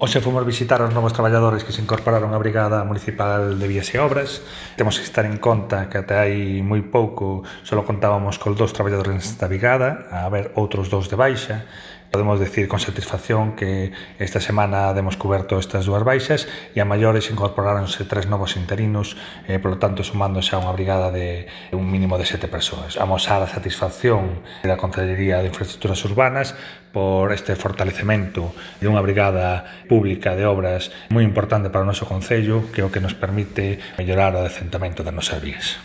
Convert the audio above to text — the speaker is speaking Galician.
Hoxe fomos visitar os novos traballadores que se incorporaron á Brigada Municipal de Vías e Obras. Temos que estar en conta que até hai moi pouco só contábamos cos 2 traballadores nesta brigada, a haber outros 2 de baixa. Podemos decir con satisfacción que esta semana demos coberto estas 2 baixas e a maiores incorporáronse 3 novos interinos, polo tanto sumando xa unha brigada de un mínimo de 7 persoas. Amosar a satisfacción da Concellería de Infraestructuras Urbanas por este fortalecemento de unha brigada pública de obras moi importante para o noso concello, que é o que nos permite mellorar o adecentamento das nosas vías.